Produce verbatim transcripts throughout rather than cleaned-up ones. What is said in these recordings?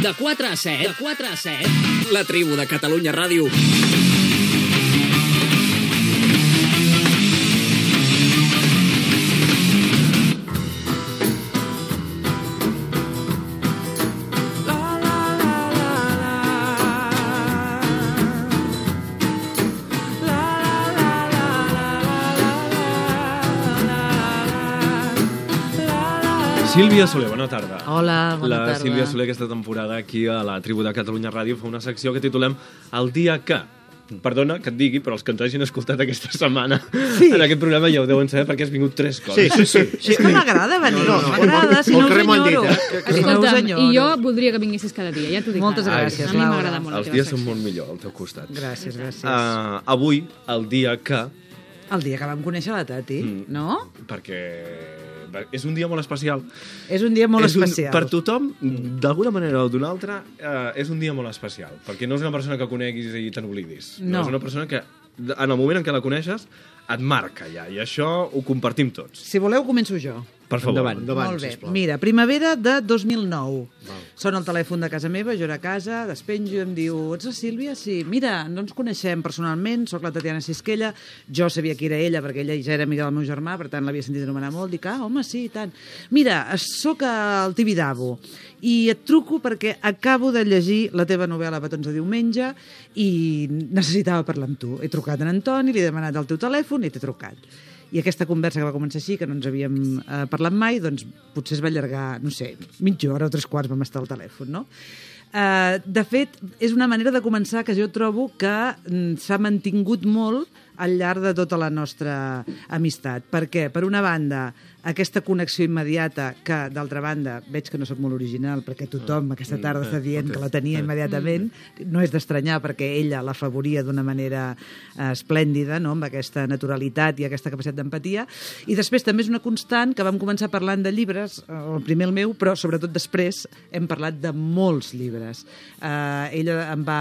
De quatre a set, de quatre a set, la tribu de Catalunya Ràdio. Sílvia Soler, bona tarda. Hola, bona la tarda. La Sílvia Soler aquesta temporada aquí a la tribu de Catalunya Ràdio fa una secció que titulem El dia que... Perdona que et digui, però els que ens hagin escoltat aquesta setmana sí. en aquest programa ja ho deuen saber perquè has vingut tres cops. Sí, sí, sí. sí. És que m'agrada venir, no, no, m'agrada, si no us enyoro. Escolta'm, i jo voldria que vinguessis cada dia, ja t'ho dic. Moltes gràcies, Laura. A mi m'agrada molt. Els dies són molt millor al teu costat. Gràcies, gràcies. Uh, avui, el dia que... El dia que vam conèixer la Tati, mm. no? Perquè... és un dia molt especial. És un dia molt és un, especial. Per tothom, d'alguna manera o d'una altra, eh, és un dia molt especial. Perquè no és una persona que coneguis i te n'oblidis. No. no. És una persona que, en el moment en què la coneixes, et marca ja. I això ho compartim tots. Si voleu, començo jo. Per favor. Endavant, endavant, molt bé. sisplau. Mira, primavera de dos mil nou. Val. Sona el telèfon de casa meva, jo era a casa, despenjo i em diu, ets la Sílvia? Sí. Mira, no ens coneixem personalment, sóc la Tatiana Sisquella, jo sabia qui era ella perquè ella ja era amiga del meu germà, per tant l'havia sentit anomenar molt, dic, ah, home, sí, i tant. Mira, sóc al Tibidabo i et truco perquè acabo de llegir la teva novel·la Petons de diumenge i necessitava parlar amb tu. He trucat a en Antoni, li he demanat el teu telèfon i t'he trucat. I aquesta conversa que va començar així, que no ens havíem eh, parlat mai, doncs potser es va allargar, no sé, mitja hora o tres quarts vam estar al telèfon, no? Eh, de fet, és una manera de començar que jo trobo que mm, s'ha mantingut molt al llarg de tota la nostra amistat. Per què? Per una banda, aquesta connexió immediata que, d'altra banda, veig que no sóc molt original perquè tothom aquesta tarda està dient que la tenia immediatament, no és d'estranyar perquè ella l'afavoria d'una manera eh, esplèndida, no? Amb aquesta naturalitat i aquesta capacitat d'empatia. I després també és una constant que vam començar parlant de llibres, el primer el meu, però sobretot després hem parlat de molts llibres. Eh, ella em va...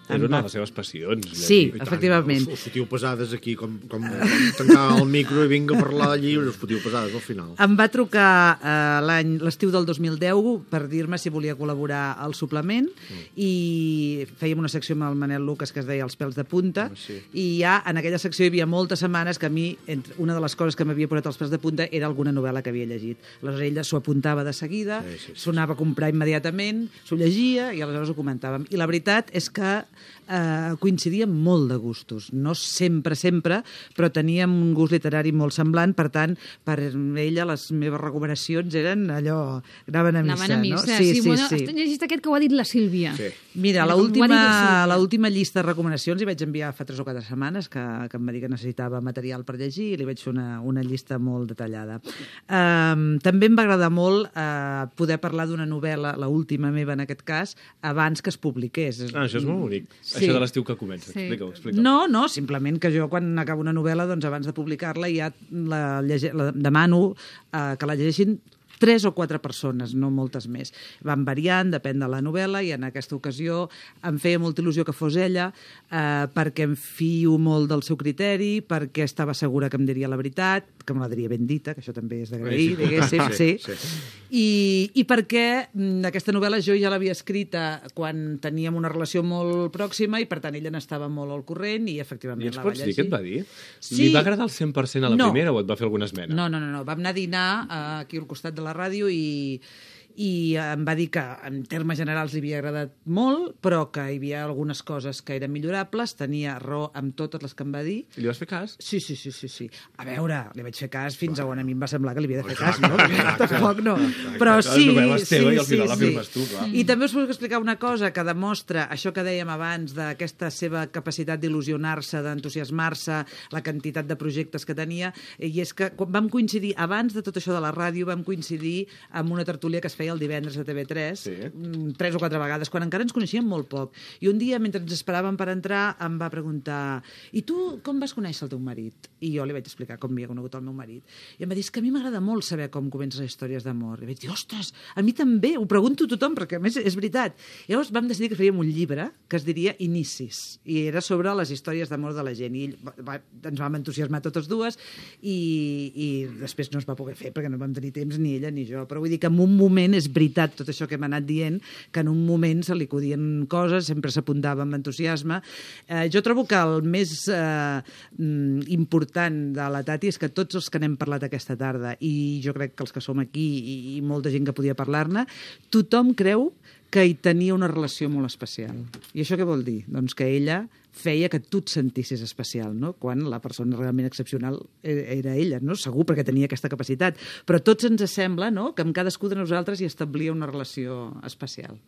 És em una va... de les seves passions. Sí, efectivament. Us, us fotiu pesades aquí, com, com, com tancar el micro i vinga a parlar de llibres, us fotiu pesades al final. Em va trucar eh, l'any l'estiu del dos mil deu per dir-me si volia col·laborar al suplement mm. i fèiem una secció amb el Manel Lucas que es deia Els pèls de punta oh, sí. i ja en aquella secció hi havia moltes setmanes que a mi, entre, una de les coses que m'havia posat els pèls de punta era alguna novel·la que havia llegit. Aleshores ella s'ho apuntava de seguida, sí, sí, sí. s'ho anava a comprar immediatament, s'ho llegia i aleshores ho comentàvem. I la veritat és que eh, coincidíem molt de gustos. No sempre, sempre, però teníem un gust literari molt semblant, per tant, per ella les meves recomanacions eren allò, anaven a missa, anaven a missa. no? Sí, sí, sí, bueno, sí. Has llegit aquest que ho ha dit la Sílvia. Sí. Mira, Mira l'última l'última llista de recomanacions hi vaig enviar fa tres o quatre setmanes, que, que em va dir que necessitava material per llegir i li vaig fer una, una llista molt detallada. Um, també em va agradar molt uh, poder parlar d'una novel·la, l'última meva en aquest cas, abans que es publiqués. Ah, això és molt bonic. Sí. Això de l'estiu que comença. Sí. Explica-ho, explica-ho. No, no, simplement que jo quan acabo una novel·la, doncs abans de publicar-la ja la, llege, la demano eh, que la llegeixin tres o quatre persones, no moltes més. Van variant, depèn de la novel·la, i en aquesta ocasió em feia molta il·lusió que fos ella, eh, perquè em fio molt del seu criteri, perquè estava segura que em diria la veritat, que me la diria ben dita, que això també és d'agrair, sí, diguéssim, sí. sí. sí. I, I perquè m, aquesta novel·la jo ja l'havia escrita quan teníem una relació molt pròxima i, per tant, ella n'estava molt al corrent i, efectivament, I ens la va pots llegir. dir què et va dir? Sí. Li va agradar al cent per cent a la No. primera o et va fer alguna esmena? No, no, no, no. Vam anar a dinar eh, aquí al costat de la ràdio i, i em va dir que en termes generals li havia agradat molt, però que hi havia algunes coses que eren millorables, tenia raó amb totes les que em va dir. I li vas fer cas? Sí, sí, sí, sí, sí. A veure, li vaig fer cas fins a on a mi em va semblar que li havia de fer cas, no? Tampoc no. Però sí, sí, sí, sí. I també us puc explicar una cosa que demostra això que dèiem abans d'aquesta seva capacitat d'il·lusionar-se, d'entusiasmar-se, la quantitat de projectes que tenia, i és que quan vam coincidir, abans de tot això de la ràdio, vam coincidir amb una tertúlia que es feia el divendres a T V tres, sí. tres o quatre vegades, quan encara ens coneixíem molt poc. I un dia, mentre ens esperàvem per entrar, em va preguntar: i tu com vas conèixer el teu marit? I jo li vaig explicar com havia conegut el meu marit. I em va dir: és que a mi m'agrada molt saber com comencen les històries d'amor. I vaig dir: ostres, a mi també, ho pregunto a tothom, perquè a més és veritat. I llavors vam decidir que faríem un llibre que es diria Inicis, i era sobre les històries d'amor de la gent. I ell va, ens vam entusiasmar totes dues i, i després no es va poder fer perquè no vam tenir temps ni ella ni jo. Però vull dir que en un moment realment és veritat tot això que hem anat dient, que en un moment se li acudien coses, sempre s'apuntava amb entusiasme. Eh, jo trobo que el més eh, important de la Tati és que tots els que n'hem parlat aquesta tarda, i jo crec que els que som aquí i, i molta gent que podia parlar-ne, tothom creu que hi tenia una relació molt especial. I això què vol dir? Doncs que ella feia que tu et sentissis especial, no? Quan la persona realment excepcional era ella, no? Segur, perquè tenia aquesta capacitat. Però tots ens sembla, no?, que amb cadascú de nosaltres hi establia una relació especial.